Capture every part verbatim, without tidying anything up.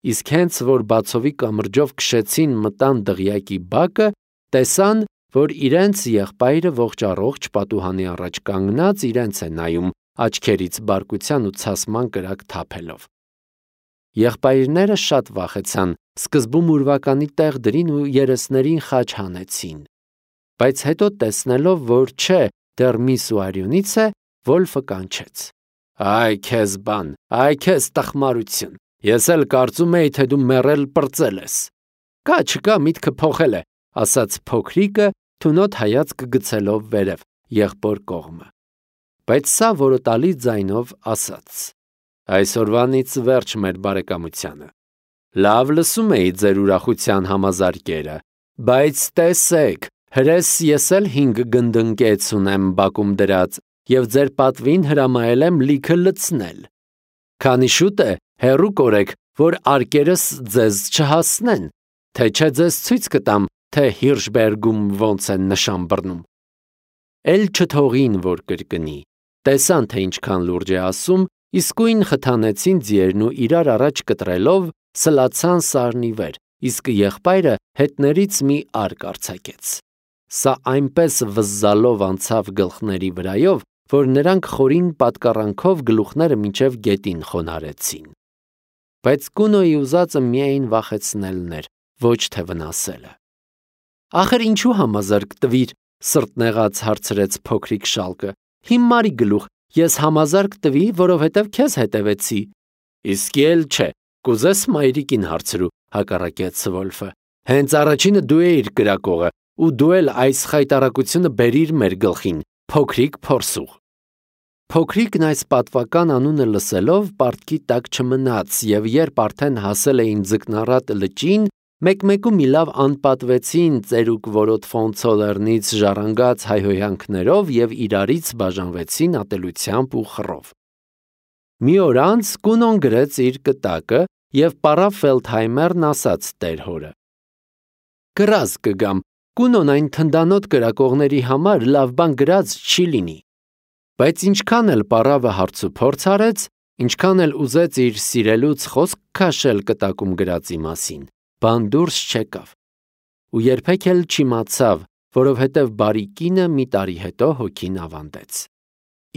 իսկ հենց որ բացովի կամրջով քշեցին մտան դղյակի բակը, տեսան, որ իրենց եղբայրը ողջ-առողջ պատուհանի առաջ կանգնած իրենց է նայում աչքերից բարկության ու ցասման կրակ թափելով։ Եղբայրները շատ վախեցան, սկզբում ուրվականի տեղ դրին ու երեսներին խաչ հանեցին, բայց հետո տեսնելով, որ չէ, դեռ միս ու արյունից է, Վոլֆը կանչեց. «Այ քեզ բան, այ քեզ տխմարություն, ես էլ կարծում էի, թե դու մեռել պրծել ես»։ «Կա չկա միտքը փոխել է», ասաց փոքրիկը, թունոտ հայացք գցելով վերև, եղբոր կողմը, բայց սա որոտալի ձայնով ասաց. «Այսօրվանից վերջ մեր բարեկամությանը։ Լավ լսում էի ձեր ուրախության համազարկերը, բայց տեսեք, հրես ես էլ հինգ գնդընկեց ունեմ բակում դրած և ձեր պատվին հրամայել եմ լիքը լցնել։ Քանի շուտ է, հեռու կորեք, որ արկերս ձեզ չհասնեն, թե չէ ձեզ ցույց կտամ, թե Հիրշբերգում ոնց են նշան բռնում»։ Էլ չթողին, որ կրկնի, տեսան, թե ինչքան լուրջ է ասում, իսկույն խթանեցին ձիերն ու իրար առաջ կտրելով սլացան սարնի վեր, իսկ եղբայրը հետներից մի արկ արձակեց։ Սա այնպես վզզալով անցավ գլխների վրայով, որ նրանք խորին պատկառանքով գլուխները մինչև գետին խոնարհեցին։ Բայց Կունոյի ուզածը միայն վախեցնելն էր, ոչ թե վնասելը։ «Ախր ինչու համազարկ տվիր», սրտնեղած հարցրեց փոքրիկ շալկը։ «Հիմարի գլուխ, ես համազարկ տվի, որովհետև քեզ հետևեցի»։ «Իսկի էլ չէ, կուզես մայրիկին հարցրու», հակառակեց Վոլֆը։ «Հենց առաջինը դու էիր կրակողը, ու դու էլ այս խայտառակությունը բերիր մեր գլխին, փոքրիկ փորսուղ»։ Փոքրիկն այս պատվական անունը լսելով պարտքի տակ չմնաց, և երբ արդեն հասել էին ձկնառատ լճին, մեկ-մեկու մի լավ անպատվեցին ծերուկ որոտֆոնցո լեռնից ժառանգած հայհոյանքներով և իրարից բաժանվեցին ատելությամբ ու խռով։ Մի օր անց Կունոն գրեց իր կտակը և պարավ Ֆելդհայմերն ասաց տեր հորը. «Կռազ կգամ, Կունոն այն թնդանոտ կրակողների համար լավ բան գրած չի լինի»։ Բայց ինչքան էլ պարավը հարցուփորձ արեց, ինչքան էլ ուզեց իր սիրելուց խոսք քաշել կտակում գրածի մասին, բան դուրս չեկավ։ Ու երբեք էլ չիմացավ, որովհետև բարի կինը մի տարի հետո հոգին ավանդեց։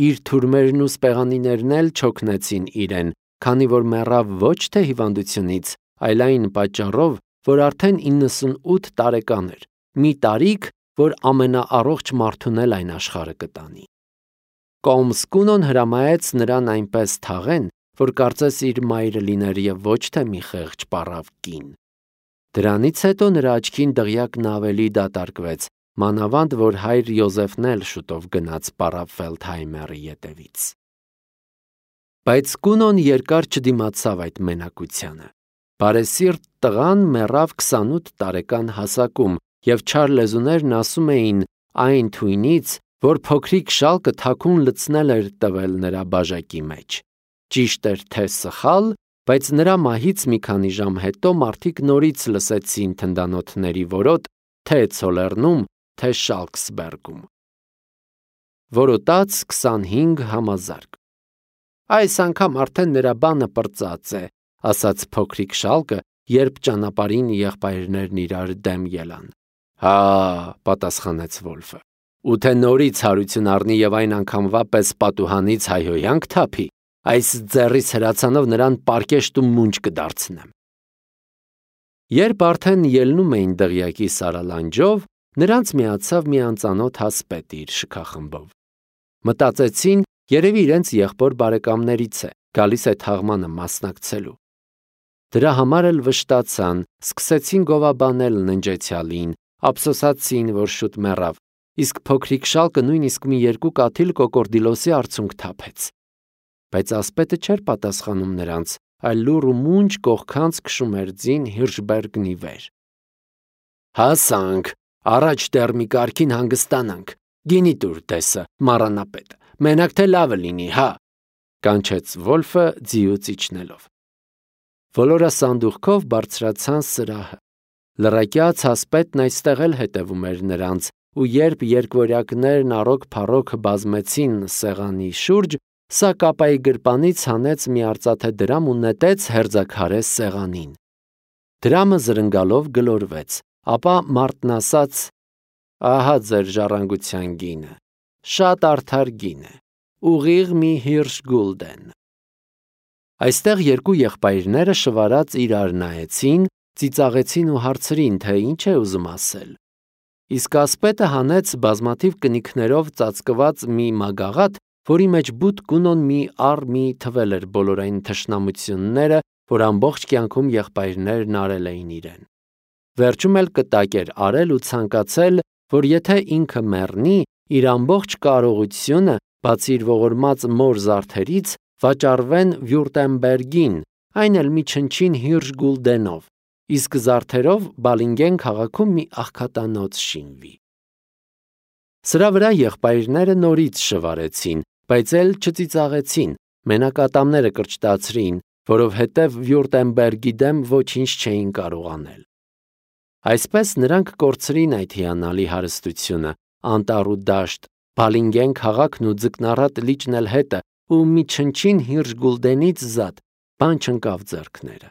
Իր թուրմերն ու սպեղանիներն էլ չօգնեցին իրեն, քանի որ մեռավ ոչ թե հիվանդությունից, այլ այն պատճառով, որ արդեն իննսունութ տարեկան էր, մի տարիք, որ ամենաառողջ մարդուն էլ այն աշխարհը կտանի։ Կոմս Կունոն հրամայեց նրան այնպես թաղեն, որ կարծես իր մայրը լիներ և ոչ թե մի խեղճ պառավ կին։ Դրանից հետո նրա աչքին դղյակն ավելի դատարկվեց, մանավանդ որ հայր Յոզեֆն էլ շուտով գնաց պառավ Ֆելդհայմերի ետևից։ Բայց Կունոն երկար չդիմացավ այդ մենակությանը։ Բարեսիրտ տղան մեռավ քսանութ տարեկան հասակում, և չար լեզուներն ասում էին այն թույնից, որ փոքրիկ շալկը թաքուն լցնել էր տվել նրա բաժակի մեջ։ Ճիշտ էր թե սխալ, բայց նրա մահից մի քանի ժամ հետո մարդիկ նորից լսեցին թնդանոթների որոտ թե Ցոլեռնում, թե Շալքսբերգում։ Որոտաց քսանհինգ համազարկ։ «Այս անգամ արդեն նրա բանը պրծած է», ասաց փոքրիկ շալկը, երբ ճանապարհին եղբայրներն իրար դեմ ելան։ «Հա», պատասխանեց Վոլֆը, «ու թե նորից հարություն առնի և այն անգամվա պես պատուհանից հայհոյանք թափի, այս ձեռիս հրացանով նրան պարկեշտ ու մունջ կդարձնեմ»։ Երբ արդեն ելնում էին դղյակի սարալանջով, նրանց միացավ մի անծանոթ հասպետ իր շքախմբով։ Մտածեցին, երևի իրենց եղբոր բարեկամներից է, գալիս է թաղմանը մասնակցելու։ Դրա համար էլ վշտացան, սկսեցին գովաբանել ննջեցյալին, ափսոսացին, որ շուտ մեռավ, իսկ փոքրիկ շալկը նույնիսկ մի երկու կաթիլ կոկորդիլոսի արցունք թափեց։ Բայց ասպետը չէր պատասխանում նրանց, այլ լուռ ու մունջ կողքանց քշում էր ձին Հիրշբերգնի վեր։ «Հասանք, առաջ դեռ մի կարգին հանգստանանք, գինի տուր տեսը, մառանապետ, մենակ թե լավը լինի, հա», կանչեց Վոլֆը ձիուց իջնելով։ Ոլորասանդուղքով բարձրացան սրահը։ Լռակյաց հասպետն այստեղ էլ հետևում էր նրանց, ու երբ երկվորյակներն առոք փառոք բազմեցին սեղանի շուրջ, սա կապայի գրպանից հանեց մի արծաթե դրամ ու նետեց հերձաքարե սեղանին։ Դրամը զրնգալով գլորվեց, ապա մարդն ասաց. «Ահա ձեր ժառանգության գինը, շատ արդար գին է, ուղիղ մի հիրշ գուլդեն»։ Այստեղ երկու եղբայրները շվարած իրար նայեցին, ծիծաղեցին ու հարցրին, թե ինչ է ուզում ասել։ Իսկ ասպետը հանեց բազմաթիվ կնիքներով ծածկված մի մագաղաթ, որի մեջ բութ գունոն մի առ մի թվել էր բոլոր այն թշնամությունները, որ ամբողջ կյանքում եղբայրներն արել էին իրեն։ Վերջում էլ կտակ էր արել ու ցանկացել, որ եթե ինքը մեռնի, իր ամբողջ կարողությունը, բացի իր ողորմած մոր զարդերից, վաճառվեն Վյուրտեմբերգին, այն էլ մի չնչին հիրշ գուլդենով, իսկ զարդերով Բալինգեն քաղաքում մի աղքատանոց շինվի։ Սրա վրա եղբայրները նորից շվարեցին, բայց էլ չծիծաղեցին, մենակ ատամները կրճտացրին, որովհետև Վյուրտեմբերգի դեմ ոչինչ չէին կարող անել։ Այսպես նրանք կորցրին այդ հիանալի հարստությունը, անտառ ու դաշտ, Բալինգեն քաղաքն ու ձկնառատ լիճն էլ հետը, ու մի չնչին հիրշ գուլդենից զատ, բան չընկավ ձեռքները։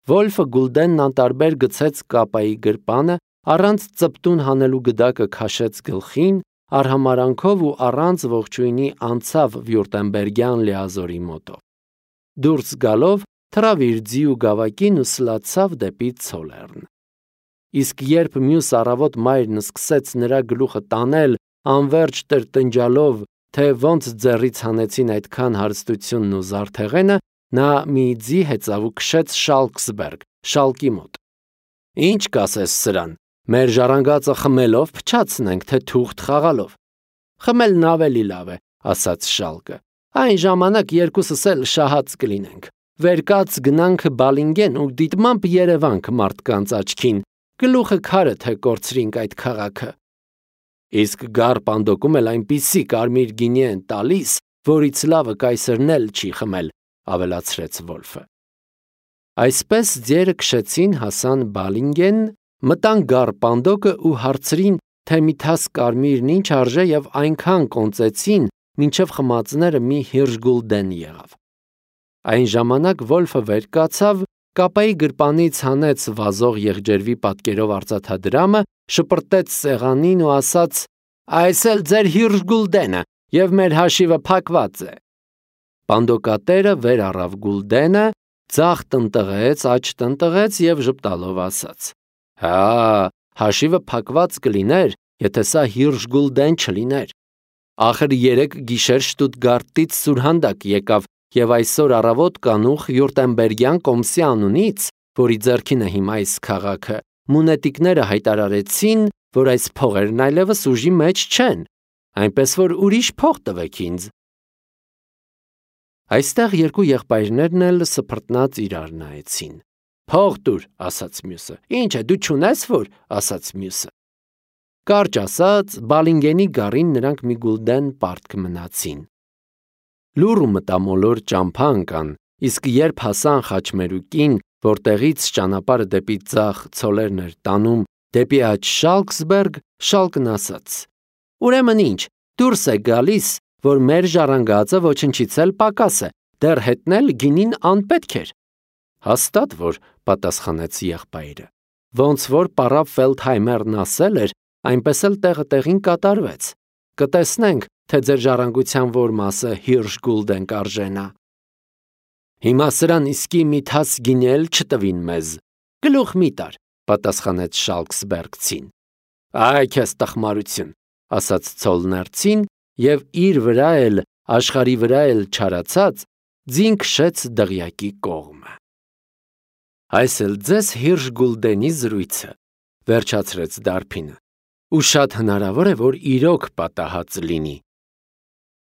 Վոլֆը գուլդենն անտարբեր գցեց կապայի գրպանը, առանց ծպտուն հանելու գդակը քաշեց գլխին, արհամարանքով ու առանց ողջույնի անցավ Վյուրտեմբերգյան լիազորի մոտով։ Դուրս գալով թռավ իր ձի ու գավակին ու սլացավ դեպի Ցոլեռն։ Իսկ երբ մյուս առավոտ մայրն սկսեց նրա գլուխը տանել, անverջ տրտնջալով, թե ոնց ձեռից հանեցին այդքան հարստությունն ու զարդեղենը, նա մի ձի հեծավ ու քշեց Շալքսբերգ, շալկի մոտ։ Ինչ կասես սրան, մեր ժառանգածը խմելով փչացնենք, թե թուղթ խաղալով։ Խմելն ավելի լավ է, ասաց Շալկը։ Այն ժամանակ երկուսս էլ շահած կլինենք։ Վերկաց գնանք Բալինգեն ու դիտմամբ Երևանք մարդկանց աչքին, գլուխը քարը թե կորցրինք այդ քաղաքը։ Իսկ գար պանդոկում էլ այնպիսի կարմիր գինի են տալիս, որից լավը կայսրն էլ չի խմել, ավելացրեց Վոլֆը։ Այսպես ձիերը քշեցին, հասան Բալինգեն, մտան գար պանդոկը ու հարցրին, թե մի թաս կարմիրն ինչ արժե եւ այնքան կոնծեցին, մինչև խմածները մի հիրշ գուլդեն եղավ։ Այն ժամանակ Վոլֆը վեր կացավ, կապայի գրպանից հանեց վազող եղջերվի պատկերով արծաթադրամը, շպրտեց սեղանին ու ասաց. «Այս էլ ձեր հիրշ գուլդենը, եւ մեր հաշիվը փակված է»։ Պանդոկատերը վեր առավ գուլդենը, ձախ տնտղեց, աջ տնտղեց եւ ժպտալով ասաց. «Հա, հաշիվը փակված կլիներ, եթե սա հիրշ գուլդեն չլիներ։ Ախր երեք գիշեր Շտուտգարտից սուրհանդակ եկավ եւ այսօր առավոտ կանուխ Վյուրտեմբերգյան կոմսի անունից, որի ձեռքին է հիմա այս քաղաքը, մունետիկները հայտարարեցին, որ այս փողերն այլևս ուժի մեջ չեն, այնպես որ ուրիշ փող տվեք ինձ»։ Այստեղ երկու եղբայրներն էլ սփռտնած իրար նայեցին։ «Փող տուր», ասաց մյուսը։ «Ինչ է, դու չունես որ», ասաց մյուսը։ Կարճ ասած, Բալինգենի գարին նրանք մի գուլդեն պարտք մնացին։ Լուռ ու մտամոլոր ճամփա ընկան, իսկ երբ հասան խաչմերուկին, որտեղից ճանապարհը դեպի ձախ Ցոլերն էր տանում, դեպի աջ Շալքսբերգ, Շալկն ասաց. «Ուրեմն ինչ, դուրս է գալիս, որ մեր ժառանգածը ոչնչից էլ պակաս է, դեռ հետնել գինին անպետք էր»։ Հաստատ որ, պատասխանեց եղբայրը։ Ոնց որ պարապ Ֆելդհայմերն ասել էր, այնպես էլ տեղը տեղին կատարվեց։ Կտեսնենք, թե ձեր ժառանգության որ մասը հիրշ գուլդեն կարժենա։ Հիմա սրան իսկի մի թաս գինի էլ չտվին մեզ։ Գլուխ մի տար, պատասխանեց Շալքսբերգցին։ Այ քեզ տխմարություն, ասաց Ցոլներցին եւ իր վրա էլ աշխարի վրա էլ չարացած ձին քշեց դղյակի կողմը։ Այս էլ ձեզ հիրշ գուլդենի զրույցը, վերջացրեց Դարփինը, ու շատ հնարավոր է, որ իրոք պատահած լինի։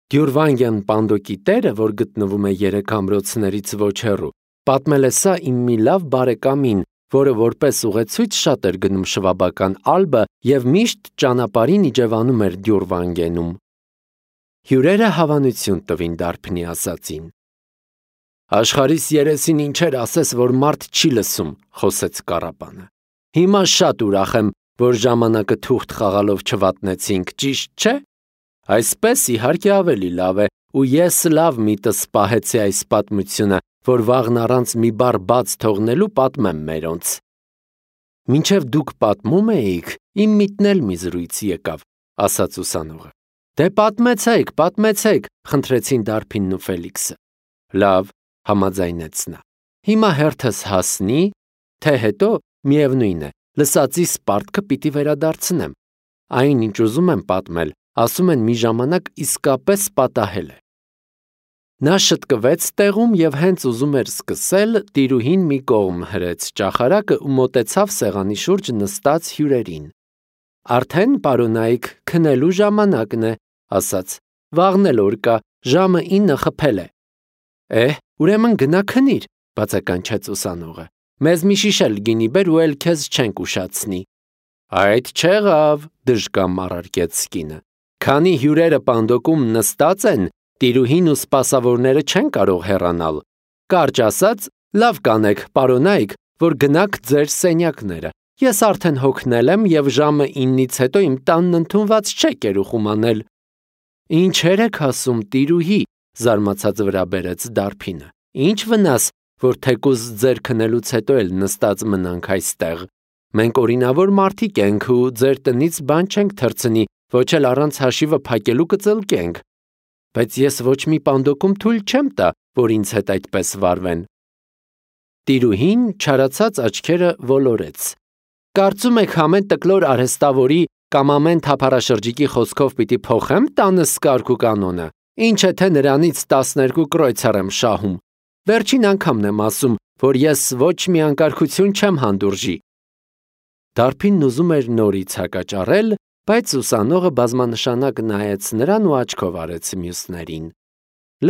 Դյուրվանգյան պանդոկի տերը, որ գտնվում է երեք ամրոցներից ոչ հեռու, պատմել է սա իմ մի լավ բարեկամին, որը որպես ուղեցույց շատ էր գնում շվաբական Ալբը եւ միշտ ճանապարհին իջևանում էր Դյուրվանգենում։ Հյուրերը հավանություն տվին Դարփնի ասածին։ Աշխարհիս երեսին ինչեր ասես, որ մարդ չի լսում, խոսեց Կարապանը։ Հիմա շատ ուրախ եմ, որ ժամանակը թուղթ խաղալով չվատնեցինք, ճիշտ չէ։ Այսպես իհարկե ավելի լավ է, ու ես լավ միտս պահեցի այս պատմությունը, որ վաղն առանց մի բառ բաց թողնելու պատմեմ մերոնց։ Մինչև դուք պատմում էիք, իմ միտն էլ մի զրույց եկավ, ասաց ուսանողը։ Դե պատմեցեք, պատմեցեք, խնդրեցին Դարբինն ու Ֆելիքսը։ Լավ, համաձայնեց նա։ Հիմա հերթս հասնի, թե հետո, միևնույն է, լսածիս պարտքը պիտի վերադարձնեմ։ Այն, ինչ ուզում եմ պատմել, ասում են մի ժամանակ իսկապես պատահել է։ Նա շտկվեց տեղում և հենց ուզում էր սկսել, տիրուհին մի կողմ հրեց ճախարակը ու մոտեցավ սեղանի շուրջ նստած հյուրերին։ Արդեն, պարոնայք, քնելու ժամանակն է, ասաց, վաղն էլ օր կա, ժամը ինը խփել է։ Էհ, ուրեմն գնա քնիր, բացականչեց ուսանողը։ Մեզ մի շիշ էլ գինի բեր ու էլ քեզ չենք ուշացնի։ Այդ չեղավ, դժկամ առարկեց կինը։ Քանի հյուրերը պանդոկում նստած են, տիրուհին ու սպասավորները չեն կարող հեռանալ։ Կարճ ասած, լավ կանեք, պարոնայք, որ գնաք ձեր սենյակները։ Ես արդեն հոգնել եմ և ժամը իննից հետո իմ տանն ընդունված չէ կերուխում անել։ Ինչեր եք ասում, տիրուհի, զարմացած վրա բերեց Դարբինը։ Ինչ վնաս, որ թեկուզ ձեր քնելուց հետո էլ նստած մնանք այստեղ։ Մենք օրինավոր մարդիկ ենք ու ձեր տնից բան չենք թռցնի, ոչ էլ առանց հաշիվը փակելու կծլկենք։ Բայց ես ոչ մի պանդոկում թույլ չեմ տա, որ ինձ հետ այդպես վարվեն։ Տիրուհին չարացած աչքերը ոլորեց։ Կարծում եք ամեն տկլոր արհեստավորի կամ ամեն թափառաշրջիկի խոսքով պիտի փոխեմ տանս կարգ ու կանոնը, ինչ է թե նրանից տասներկու կրոյցար եմ շահում։ Վերջին անգամն եմ ասում, որ ես ոչ մի անկարգություն չեմ հանդուրժի։ Դարբինն ուզում էր նորից հակաճառել, բայց ուսանողը բազմանշանակ նայեց նրան ու աչքով արեց մյուսներին։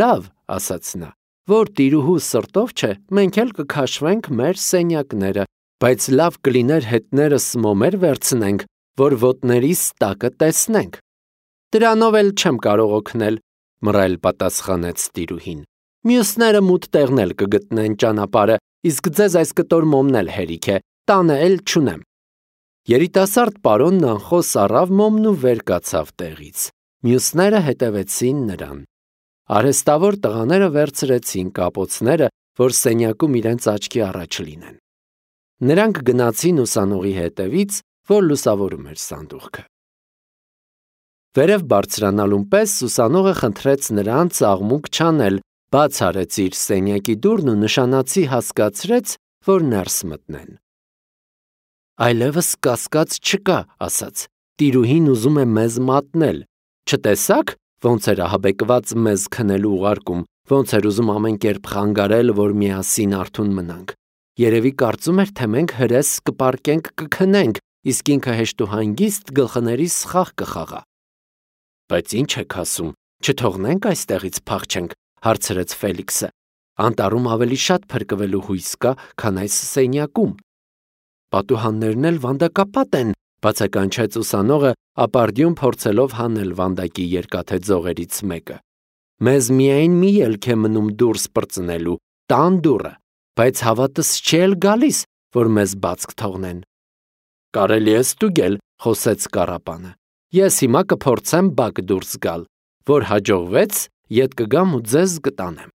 Լավ, ասաց նա, որ տիրուհու սրտով չէ, մենք էլ կքաշվենք մեր սենյակները, բայց լավ կլիներ հետներս մոմեր վերցնենք, որ ոտներիս տակը տեսնենք։ Դրանով էլ չեմ կարող օգնել, մռայլ պատասխանեց տիրուհին։ Մյուսները մութ տեղն էլ կգտնեն ճանապարհը, իսկ ձեզ այս կտոր մոմն էլ հերիք է, տանը էլ չունեմ։ Երիտասարդ պարոնն անխոս առավ մոմն ու վեր կացավ տեղից։ Մյուսները հետևեցին նրան։ Արհեստավոր տղաները վերցրեցին կապոցները, որ սենյակում իրենց աչքի առաջ լինեն։ Նրանք գնացին ուսանողի հետևից, որ լուսավորում էր սանդուղքը։ Վերև բարձրանալուն պես ուսանողը խնդրեց նրանց աղմուկ չանել, բաց արեց իր սենյակի դուռն ու նշանացի հասկացրեց, որ ներս մտնեն։ Այլևս կասկած չկա, ասաց, տիրուհին ուզում է մեզ մատնել, չտեսաք, ոնց էր ահաբեկված մեզ քնելու ուղարկում, ոնց էր ուզում ամեն կերպ խանգարել, որ միասին արթուն մնանք, երևի կարծում էր, թե մենք հրես կպարկենք կքնենք, իսկ ինքը հեշտ ու հանգիստ գլխներիս սխաղ կխաղա։ Բայց ինչ եք ասում, չթողնենք այստեղից փախչենք, հարցրեց Ֆելիքսը, անտառում ավելի շատ փրկվելու հույս կա, քան այս սենյակում։ Պատուհաններն էլ վանդակապատ են, բացականչեց ուսանողը, ապարդյուն փորձելով հանել վանդակի երկաթե ձողերից մեկը։ Մեզ միայն մի ելք է մնում դուրս պրծնելու, տան դուռը, բայց հավատս չի էլ գալիս, որ մեզ բաց կթողնեն։ Կարելի է ստուգել, խոսեց կառապանը։ Ես հիմա կփորձեմ բակ դուրս գալ, որ հաջողվեց, ետ կգամ ու ձեզ կտանեմ։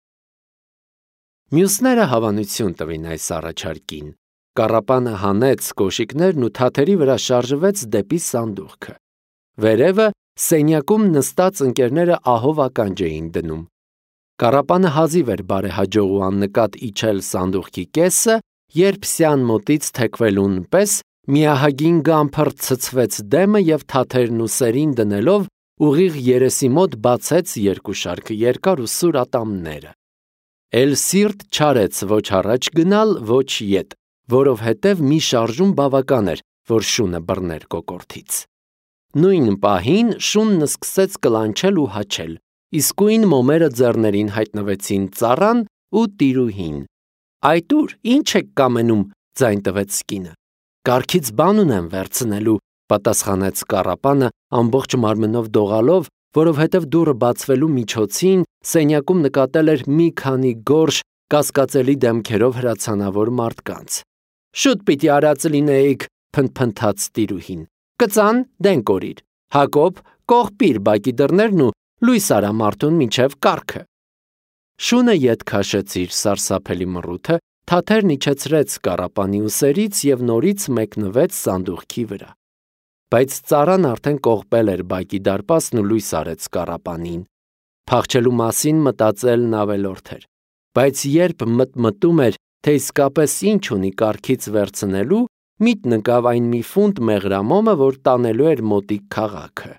Մյուսները հավանություն տվին այս առաջարկին։ Կառապանը հանեց կոշիկներն ու թաթերի վրա շարժվեց դեպի սանդուղքը։ Վերևը սենյակում նստած ընկերները ահով ականջ էին դնում։ Կառապանը հազիվ էր բարեհաջող ու աննկատ իջել սանդուղքի կեսը, երբ սյան մոտից թեքվելուն պես միահագին գամփր ցցվեց դեմը և թաթերն ու սերին դնելով ուղիղ երեսի մոտ բացեց երկու շարք երկար ու սուր ատամները։ Էլ սիրտ չարեց ոչ առաջ գնալ, ոչ ետ, որովհետև մի շարժում բավական էր, որ շունը բռներ կոկորդից։ Նույն պահին շունն սկսեց կլանչել ու հաչել, իսկույն մոմերը ձեռներին հայտնվեցին ծառան ու տիրուհին։ Այդ ուր, ինչ եք կամենում, ձայն տվեց կինը։ Կառքից բան ունեմ վերցնելու, պատասխանեց կառապանը ամբողջ մարմնով դողալով, որովհետև դուռը բացվելու միջոցին սենյակում նկատել էր մի քանի գորշ կասկածելի դեմքերով հրացանավոր մարդկանց։ Շուտ պիտի արած լինեիք, փնթփնթաց տիրուհին։ Կծան, դեն կորիր։ Հակոբ, կողպիր բակի դռներն ու լույս արա մարդուն մինչև կառքը։ Շունը ետ քաշեց իր սարսափելի մռութը, թաթերն իջեցրեց կառապանի ուսերից և նորից մեկնվեց սանդուղքի վրա։ Բայց ծառան արդեն կողպել էր բակի դարպասն ու լույս արեց կառապանին։ Փախչելու մասին մտածելն ավելորդ էր, բայց երբ մտմտում էր, թե իսկապես ինչ ունի կառքից վերցնելու, միտն ընկավ այն մի ֆունտ մեղրամոմը, որ տանելու էր մոտիկ քաղաքը։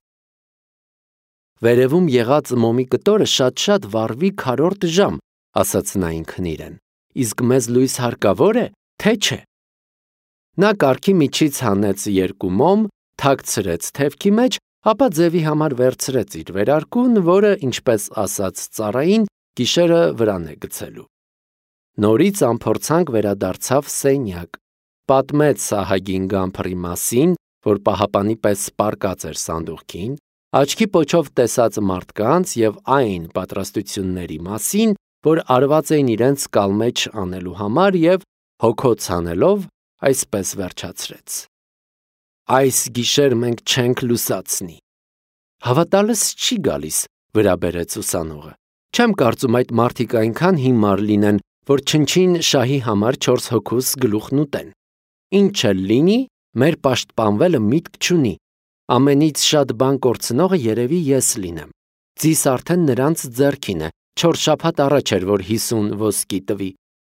Վերևում եղած մոմի կտորը շատ-շատ վառվի քառորդ ժամ, ասաց նա ինքն իրեն, իսկ մեզ լույս հարկավոր է, թե չէ։ Նա կառքի միջից հանեց երկու մոմ, թաքցրեց թևքի մեջ, ապա ձևի համար վերցրեց իր վերարկուն, որը, ինչպես ասաց ծառային, գիշերը վրան է գցելու։ Նորից անփորձանք վերադարձավ սենյակ, պատմեց սահագին գամփրի մասին, որ պահապանի պես պառկած էր սանդուղքին, աչքի պոչով տեսած մարդկանց և այն պատրաստությունների մասին, որ արված էին իրենց կալմեջ անելու համար և հոգոց հանելով, այսպես վերջացրեց. Այս գիշեր մենք չենք լուսացնի։ Հավատալս չի գալիս, վրա բերեց ուսանողը։ Չեմ կարծում այդ մարդիկ այնքան հիմար լինեն, որ չնչին շահի համար չորս հոգուս գլուխն ուտեն։ Ինչ էլ լինի, մեր պաշտպանվելը միտք չունի։ Ամենից շատ բան կորցնողը երևի ես լինեմ։ Ձիս արդեն նրանց ձեռքին է, չորս շաբաթ առաջ էր, որ հիսուն ոսկի տվի։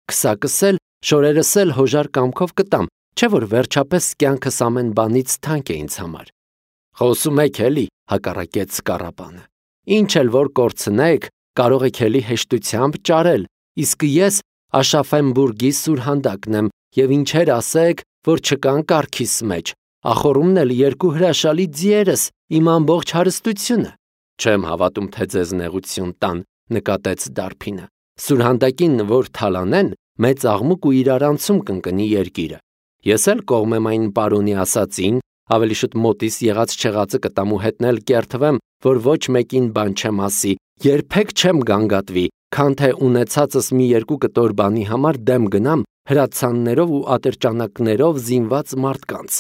Քսակս էլ, շորերս էլ հոժար կամքով կտամ, չէ՞ որ վերջապես կյանքս ամեն բանից թանկ է ինձ համար։ Խոսում եք էլի, հակառակեց կառապանը։ Ինչ էլ որ կորցնեք, կարող եք էլի հեշտությամբ ճարել, իսկ ես Աշաֆենբուրգի սուրհանդակն եմ, և ինչեր ասեք, որ չկան կառքիս մեջ, ախոռումն էլ երկու հրաշալի ձիերս, իմ ամբողջ հարստությունը։ Չեմ հավատում, թե ձեզ նեղություն տան, նկատեց դարբինը։ Սուրհանդակին որ թալանեն, մեծ աղմուկ ու իրարանցում կընկնի երկիրը։ Ես էլ կողմ եմ այն պարոնի ասածին, ավելի շուտ մոտիս եղած չեղածը կտամ ու հետն էլ կերթվեմ, որ ոչ մեկին բան չեմ ասի, երբեք չեմ գանգատվի, քան թե ունեցածս մի երկու կտոր բանի համար դեմ գնամ հրացաններով ու ատրճանակներով զինված մարդկանց։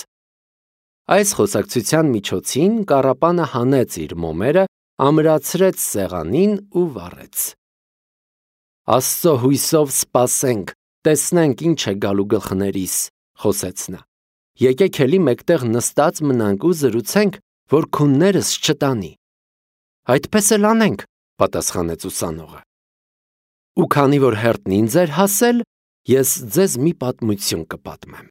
Այս խոսակցության միջոցին կառապանը հանեց իր մոմերը, ամրացրեց սեղանին ու վառեց։ Աստծո հույսով սպասենք, տեսնենք ինչ է գալու գլխներիս, խոսեց նա։ Եկեք էլի մեկտեղ նստած մնանք ու զրուցենք, որ քուններս չտանի։ Այդպես էլ անենք, պատասխանեց ուսանողը։ Ու քանի որ հերթն ինձ էր հասել, ես ձեզ մի պատմություն կպատմեմ։